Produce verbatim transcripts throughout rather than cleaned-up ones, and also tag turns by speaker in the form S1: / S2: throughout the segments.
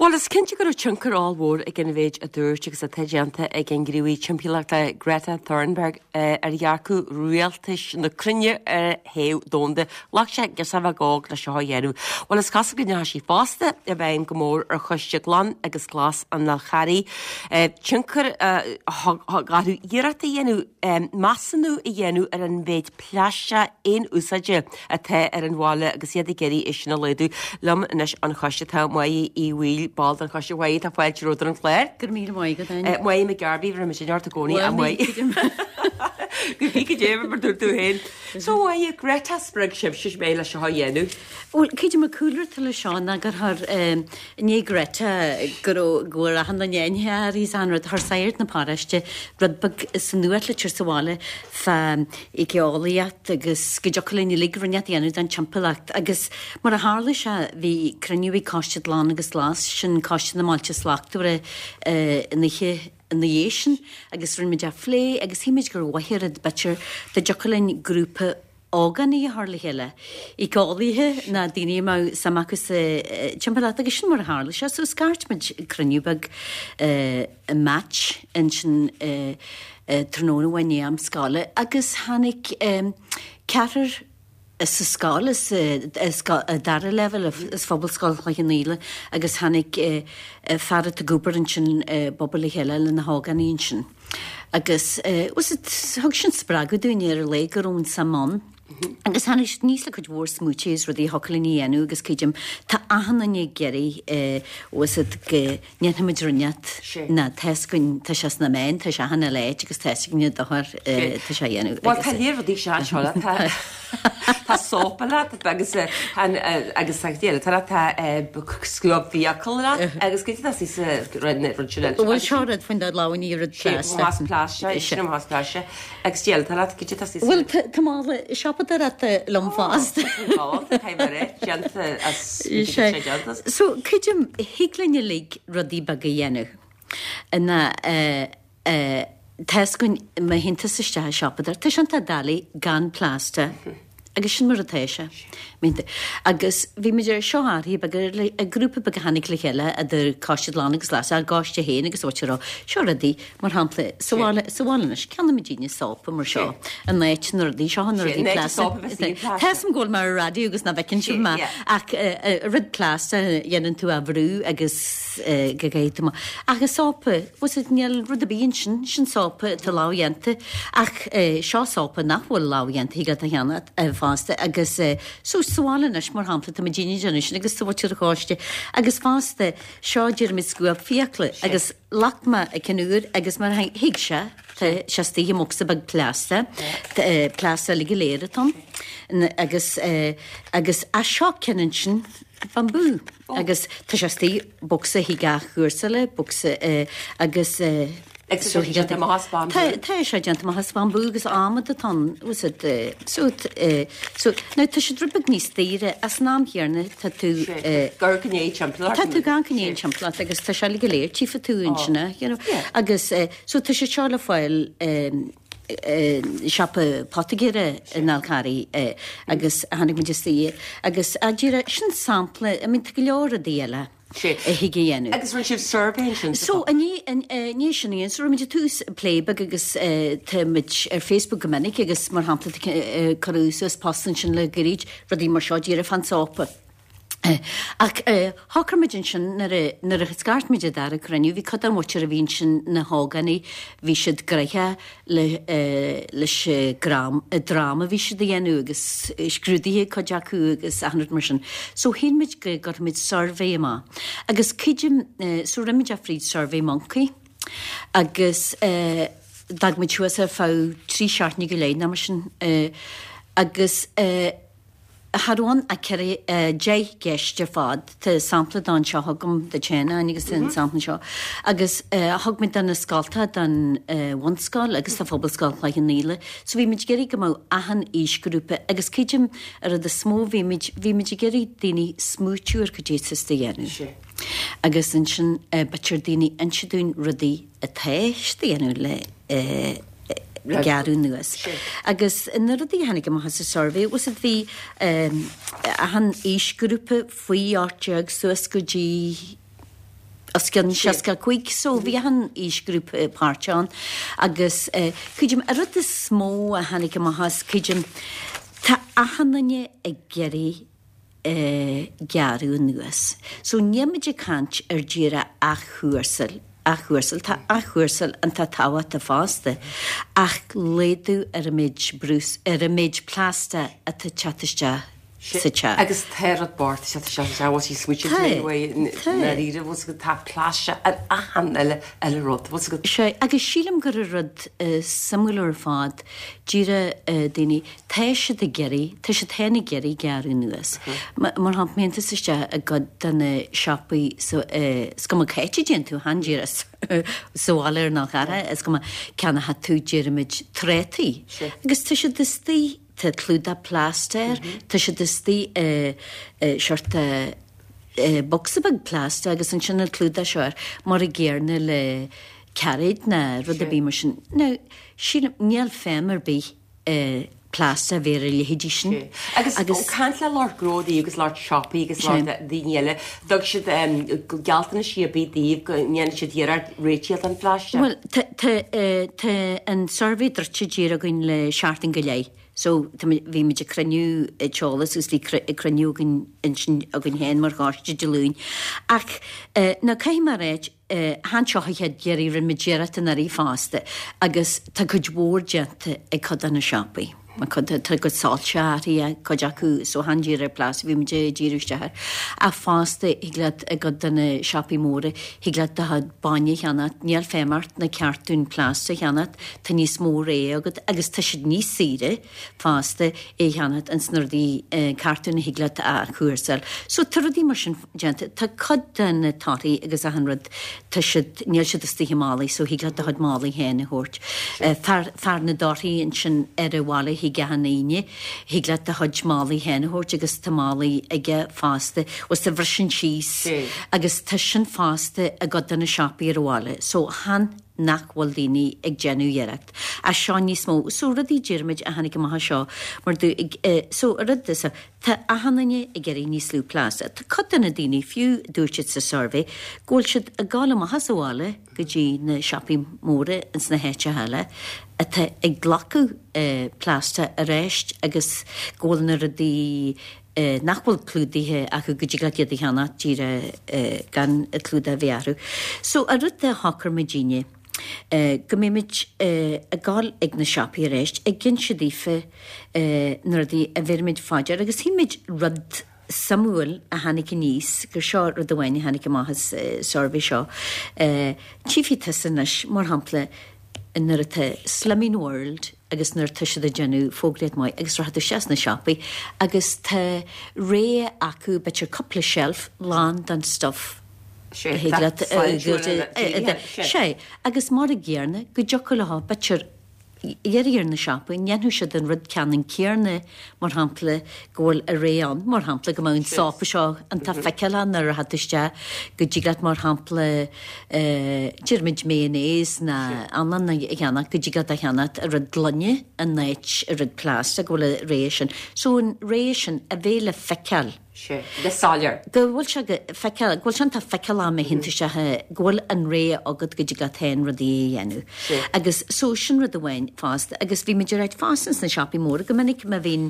S1: Well is cinnte go raibh tionchar ollmhór ag an mhéid a dúirt agus atá déanta ag an ngníomhaí timpeallachta Greta Thunberg eh, ar dhearcadh rialtais na cruinne ar théamh domhanda. Ghlac sé girseach bheag óg le seo a dhéanamh. Well is cosúil go ndeachaigh sí fosta i bhfeidhm go mór ar choiste glan agus glas an Fhál Charraigh. Eh, tionchar eh, thug orthu iarracht a dhéanamh eh, measúnú a dhéanamh ar an mhéid plaisteach aon úsáide atá ar an bhaile agus iad ag iarraidh é sin a laghdú. Liom anois an choiste tá Máire Uí Bhaoill ball den choiste Mháire tá fáilte romhat ar an chlár.
S2: Gur míle maith agat.
S1: Eh, Máire McGarvey bhí sin ort i gcónaí a Mháire. Go bhí go dé mar dúirt tú féin. So Máire Greta spreag sibh mé le seo a dhéanamh.
S2: Well cé mar cúlra le seo ná gur thar ní Greta go go bhfuil achan duine inné an rud thar sagart na paráiste rud beag sa nuachtlitir sa bhaile fá éiceolaíocht agus go dtiocfadh linn uilig rud a dhéanamh don timpeallacht agus mar a tharla sé bhí cruinniú ag Coiste Glan agus Glas sin Coiste na mBailte Slachtmhara in oíche ina dhiaidh sin agus rinne muid a phlé agus shíl muid gur mhaith an rud b'fhéidir dá dtiocfadh linn grúpa ógánaigh a chur le chéile. Éiceolaithe ná daoine a mbeadh suim acu sa timpeallacht agus sin mar a tharla sé, so scairt muid cruinniú beag i match ansin tráthnóna amháin i am scoile agus tháinig ceathrar sa scoil sa dara leibhéal is Phobalscoil Chloich Cheann Fhaola agus tháinig fear atá ag obair ansin bobal le chéile le na hógánaigh ansin. Agus thug sin spreagadh dúinn ar le go raibh an suim ann. Agus tháinig siad aníos le cuid mhór smaointe is rudaí a thiocfadh linn a dhéanamh agus creidim tá achan duine ag iarraidh bhfuil go ndéanfaimid rud inteacht ná tá fhios againn tá sé sna meáin tá sé achan uile áit agus tá fhios againn dochar tá sé a dhéanamh.
S1: Well tá léir rudaí seo anseo le tá tá sópa leat agus agus tá tá scuab fiacal leat agus go tá sí sa rud sin.
S2: Bhfuil seo rud faoin dá lámhainní rud
S1: plaisteach. Plaisteach sin plaisteach agus déal tá leat go tá sí.
S2: Bhfuil tá mála siopadóireachta liom fosta. So creidim thig linn uilig rudaí beaga a dhéanamh. Ina tá fhios againn má théann tusa isteach i siopadóir, tá sé iontach doiligh gan plaisteach. Agus sin mar atá sé. Agus bhí muid ar seo áirithe beag le grúpa beag a tháinig le chéile idir Coiste Glan agus Glas ár gcoiste féin agus áit a raibh seo rudaí mar shampla sa bhaile sa bhaile anois ceannaímid daoine sópa mar seo in áit na rudaí seo na rudaí plaisteach. Tá fhios agam go bhfuil mé ar raidió agus nach bhfeiceann sibh mé ach rud plaisteach dhéanann tú a bhrú agus go gcaithfidh tú ach is sópa bhfuil níl rud ar bith ansin sin sópa atá lámhdhéanta ach seo sópa nach bhfuil lámhdhéanta thig leat a cheannach fosta agus so sa bhaile anois mar shampla tá muid ag déanamh sin agus sa mhuintir choiste agus fosta seo deirimid scuab fiacla agus ghlac mé a ceann úr agus mar thuig sé tá sé istigh i mbocsa beag plaisteach plaisteach uilig go léir atá ann agus agus as seo ceann ansin bambú agus tá sé istigh bocsa thig athchúrsála bocsa agus
S1: Agus tá sé déanta amach as bambú.
S2: Tá sé déanta amach as bambú agus adhmad atá ann so so now tá siad rud beag níos daoire as an am chéanna tá tú
S1: Gur gné timpeallacht.
S2: Tá tú gan gné timpeallacht agus tá sé go léir tífa tú ansin you know agus so tá sé seo le fáil siopa poitigéara in Fhál Carraigh agus tháinig muid istigh agus a dúirt sin sampla I mean tá go leor rudaí eile.
S1: Sé.
S2: a thig a dhéanamh.
S1: Agus rinne sibh suirbhé ansin
S2: So ní sin íon so rinne muid tús plé beag agus tá muid ar Facebook go minic agus mar shampla cuireadh suas post ansin le gairid rudaí mar seo díreach fán sópa. Ach shocraigh muid ansin nuair a nuair a scairt muid an dara cruinniú, bhí cuid den mhuintir a bhí ansin na hógánaigh, bhí siad gnoitheach le leis an dráma a bhí siad a dhéanamh agus scrúduithe cuid acu agus achan rud mar sin. So shíl muid go gcuirfidh muid suirbhé amach. Agus creidim so rinne muid é fríd Survey Monkey agus d'fhág muid suas ar feadh trí seachtaine go leith nó mar sin agus Cha raibh ann ach ceithre deich gceist ar fad. Tá sampla den seo agam duit féin agus an sampla seo. Agus thug muid do na scoltacha don bhunscoil agus do Phobalscoil Chloich Cheann Fhaola. So bhí muid ag iarraidh go mbeadh achan aoisghrúpa agus creidim an rud is mó bhí muid bhí muid ag iarraidh daoine smaoitiú ar cad é atá siad a dhéanamh. Agus ansin b'fhéidir daoine inse dúinn rudaí atá siad a dhéanamh le gearradh anuas. Agus na rudaí a tháinig amach as an suirbhé was it bhí achan aoisghrúpa faoi ocht déag suas go dtí os cionn seasca cúig so bhí an aoisghrúpa páirteach ann agus creidim an rud is mó a tháinig amach as creidim tá achan duine ag iarraidh gearradh anuas. So níl muid ag caint ar díreach athchúrsáil athchúrsáil tá athchúrsáil iontach tábhachtach fosta ach laghdú ar an méid brús ar an méid plaisteach atá ag teacht isteach sa teach.
S1: Agus tá rud bocht sé sé sé bhfuil sí smuite dáiríre bhfuil tá plaisteach ar achan eile eile rud bhfuil
S2: Sé agus sílim gur rud suimiúil ar fad díreach daoine tá siad ag iarraidh tá siad féin ag iarraidh gearradh anuas. Mar shampla má théann tusa isteach i gcuid de na siopaí is cuma cá háit a dtéann tú chan díreach sa bhaile ar nach ara is cuma ceannóidh tú deirimid trátaí. Agus tá siad istigh tá clúdach plaisteach air, tá siad istigh i seort bocsa beag plaisteach agus ansin an clúdach seo air mar a gcéanna le cairéid ná rud ar bith mar sin. Now sílim níl feidhm ar bith plaisteach a bheith ar a leithéidí sin.
S1: Agus agus caint le lucht gnóthaí agus lucht siopaí agus lucht daoine eile, thug siad gealltanais ar bith daoibh go ndéanfaidh siad iarracht réiteach don phlaisteach?
S2: Bhuel, tá an suirbhé druidte díreach againn le seachtain go leith. So bhí muid ag cruinniú eolas agus bhí cruinniú againn ansin againn féin mar choiste Dé Luain. Ach now caithfidh mé a ráit, chan seo an chéad iarraidh rinne muid iarracht anuraidh fosta agus tá cuid mhór déanta ag cuid de na siopaí. Mar cuid tá cuid soilse athraithe cuid acu so chan díreach ar plaisteach bhí muid ag díriú isteach air. Ach fosta thig leat i gcuid de na siopaí móra thig leat do chuid bainne a cheannacht, níl feidhm ort na cartúin plaisteach a cheannacht, tá níos mó rogha agat agus tá siad níos saoire fosta é a cheannacht ins na rudaí cartúin a thig leat a athchúrsáil. So tá rudaí mar sin déanta. Tá cuid de na torthaí agus achan rud tá siad níl siad istigh i málaí so thig leat do chuid málaí féin a thabhairt. Fear fear na dtorthaí ansin ar an bhaile chuig achan Aoine, thig leat do chuid málaí féin a thabhairt agus tá málaí aige fosta agus a bhriseann síos agus tá sin fosta i gcuid de na siopaí ar an bhaile. So chan nach bhfuil daoine ag déanamh iarracht. Ach seo níos mó. So rudaí deirimid a tháinig amach as seo mar do so rud is tá achan duine ag iarraidh níos lú plaisteach. Tá cuid de na daoine fiú dúirt siad sa suirbhé go bhfuil siad ag gabháil amach as an bhaile go dtí na siopaí móra ins na háiteacha eile atá ag glacadh plaisteach arís agus go bhfuil na rudaí nach bhfuil clúdaithe acu go dtig leat iad a cheannach díreach gan an clúdach a bheith orthu. So an rud a shocraigh muidinne go mbeidh muid ag gabháil ag na siopaí arís ag inse daofa na rudaí a bheirimid fá dear agus shíl muid rud suimiúil a tháinig aníos gur seo rud amháin a tháinig amach as suirbhé seo. Tchífidh tusa anois, mar shampla, nuair atá Slimming World agus nuair atá siad ag déanamh fógraíocht maith agus rachaidh tú isteach sna siopaí agus tá rogha acu b'fhéidir cúpla shelf lán den stuff a thig leat Sé agus mar a gcéanna go dtiocfadh leo b'fhéidir iarraidh ar na siopaí an ndéanfadh siad an rud ceannann céanna mar shampla go bhfuil a rogha ann mar shampla go mbeadh an sópa seo iontach feiceálach nuair a rachaidh tú isteach go dtig leat mar shampla deirimid mayonnaise ná anlann a cheannach go dtig leat a cheannacht i rud gloine in áit i rud plaisteach go bhfuil a rogha sin so an rogha sin a bheith le feiceáil.
S1: Sé, le soiléir.
S2: Go bhfuil sé go feiceáil, go bhfuil sé iontach feiceálach má théann tú isteach, go bhfuil an rogha agat go dtig leat féin rudaí a dhéanamh.
S1: Sé.
S2: Agus so sin rud amháin fosta. Agus bhí muid ag ráit fosta ins na siopaí móra go minic má bhíonn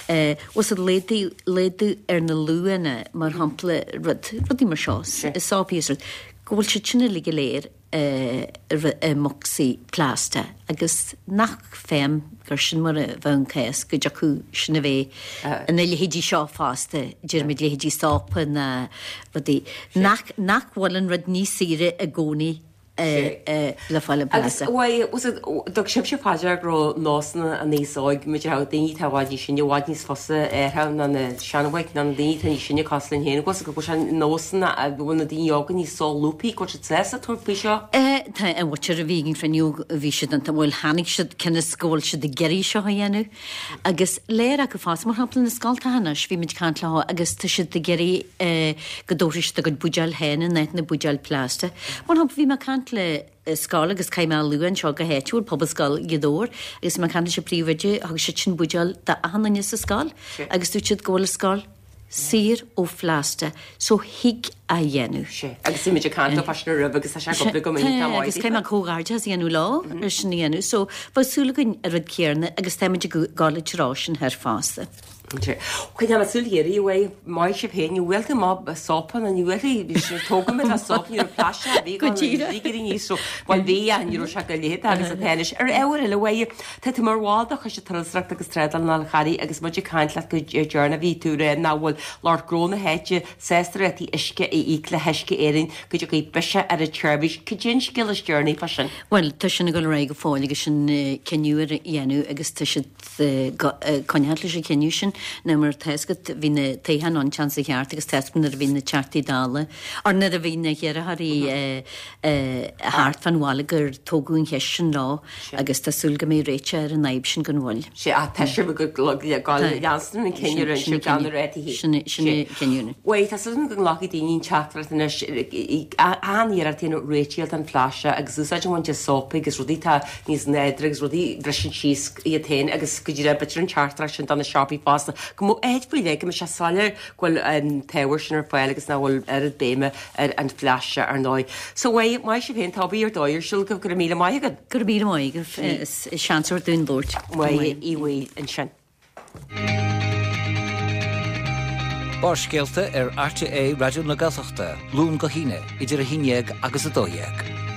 S2: eh, bhfuil siad laghdú, laghdú ar na luachanna mar shampla rud, rudaí mar seo,
S1: Sé.
S2: sópaí is rud, go bhfuil siad sin uilig go léir i mbocsaí plaisteach agus nach feidhm gur sin mar a bheadh an cás go dtiocfadh sin a bheith ina leithéidí seo fosta, deirimid leithéidí sópa ná rudaí nach nach bhfuil an rud níos saoire i gcónaí le fáil i
S1: Agus
S2: bplaisteach.
S1: thug sibhse fá dear go raibh nósanna an aos óig, muid a raibh daoine atá i bhfad níos sine, i bhfad níos fusa air ná na seanbhoic, ná na daoine atá níos sine cosúil linn féin, agus go bhfuil sé nósanna go bhfuil na daoine óga níos solúbthaí, go bhfuil siad sásta tabhairt faoi seo.
S2: Tá an mhuintir a bhí ag an chruinniú, bhí siad iontach, bhuel tháinig siad cionn is go bhfuil siad ag iarraidh seo a dhéanamh agus léir acu fosta, mar shampla na scoltacha anois, bhí muid ag caint leo agus tá siad ag iarraidh go dtabharfaidh siad a gcuid buidéal féin in áit na buidéil plaisteach. Mar shampla bhí mé ag caint le scoil agus caithfidh mé a lua anseo go háitiúil, Pobalscoil Ghaoth Dobhair, agus bhí mé ag caint leis an bpríomhoide, thug siad sin buidéal d'achan duine sa scoil agus dúirt siad go bhfuil an scoil saor ó phlaisteach so thig a dhéanamh.
S1: Sea, agus bhí muid ag caint fá sin roimh agus tá sé go go minic tá
S2: Agus cé comhghairdeas a dhéanamh leo ar sin a dhéanamh, so bheadh súil againn an rud céanna agus táimid ag gabháil treo sin thoir fosta.
S1: Chuid am súil ghéirí uaidh maith sibh féin, ní bhfuil tú maith sópa nó ní bhfuil tógadh mé le sópa ní raibh plaisteach bhí
S2: Go díreach.
S1: bhí níos so bhuel bhí a ní raibh sé go léit agus atá anois ar ábhar eile uaidh tá tú mar bhall de Choiste Turasóireachta agus Trádála an Fháil Charraigh agus muid ag caint leat go deireanach bhí tú rá nach bhfuil lucht gnó na háite sásta rátaí uisce a íoc le hUisce Éireann go dtiocfaidh biseach ar an tseirbhís. Cad é an scéal is deireanaí fá sin?
S2: Bhuel, tá sin ag dul ar aghaidh go fóill agus sin cinneadh ar a dhéanamh agus tá siad coinneáil leis an chinneadh sin ná mar tá a fhios agat bhí na toghcháin ann an tseachtain seo thart agus tá a fhios agat nuair a bhí na Teachtaí Dála or nuair a bhí na hiarrthóirí thart fán bhaile gur tógadh an cheist sin leo agus tá súil go mbeidh réiteach ar an fhadhb sin gan mhoill.
S1: Sé a tá sibh go leanstan an cinneadh rinne sibh gan na rátaí.
S2: Sin sin cinneadh.
S1: Bhuel, tá súil go nglacfaidh daoine an teachtaireacht anois an-iarracht a dhéanamh réitigh don phlaisteach agus úsáid a bhaint as sópa agus rudaí atá níos nádúrtha agus rudaí a bhriseann síos iad féin agus go díreach b'fhéidir an teachtaireacht sin do na siopaí fosta go mbeadh áit faoi leith go mbeadh sé soiléir go bhfuil an t-ábhar sin ar fáil agus nach bhfuil oiread béime ar an phlaisteach ar ndóigh. So bhuel, maith sibh féin, tá obair ar dóigh ar siúl go raibh míle maith agat.
S2: Go raibh míle maith agaibh is seans ar dúinn labhairt.
S1: Maith í bhfuil ansin.
S3: Barrscéalta ar RTÉ Raidió na Gaeltachta, Luan go hAoine, idir a haon déag agus a dó dhéag.